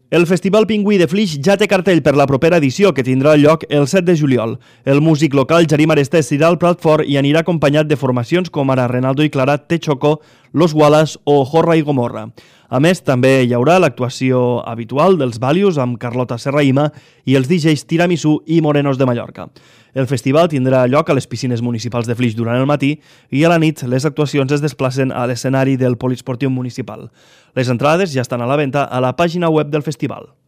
El Festival Pingüí de Flix ja té cartell per la propera edició, que tindrà lloc el 7 de juliol. El músic local Jarim Arestés irà al plat fort i anirà acompanyat de formacions com ara Renaldo i Clara, Texocó, Los Wallace o Jorra i Gomorra. A més, també hi haurà l'actuació habitual dels Valius amb Carlota Serraïma i els DJs Tiramisú i Morenos de Mallorca. El festival tindrà lloc a les piscines municipals de Flix durant el matí i a la nit les actuacions es desplacen a l'escenari del Poliesportiu Municipal. Les entrades ja estan a la venda a la pàgina web del festival.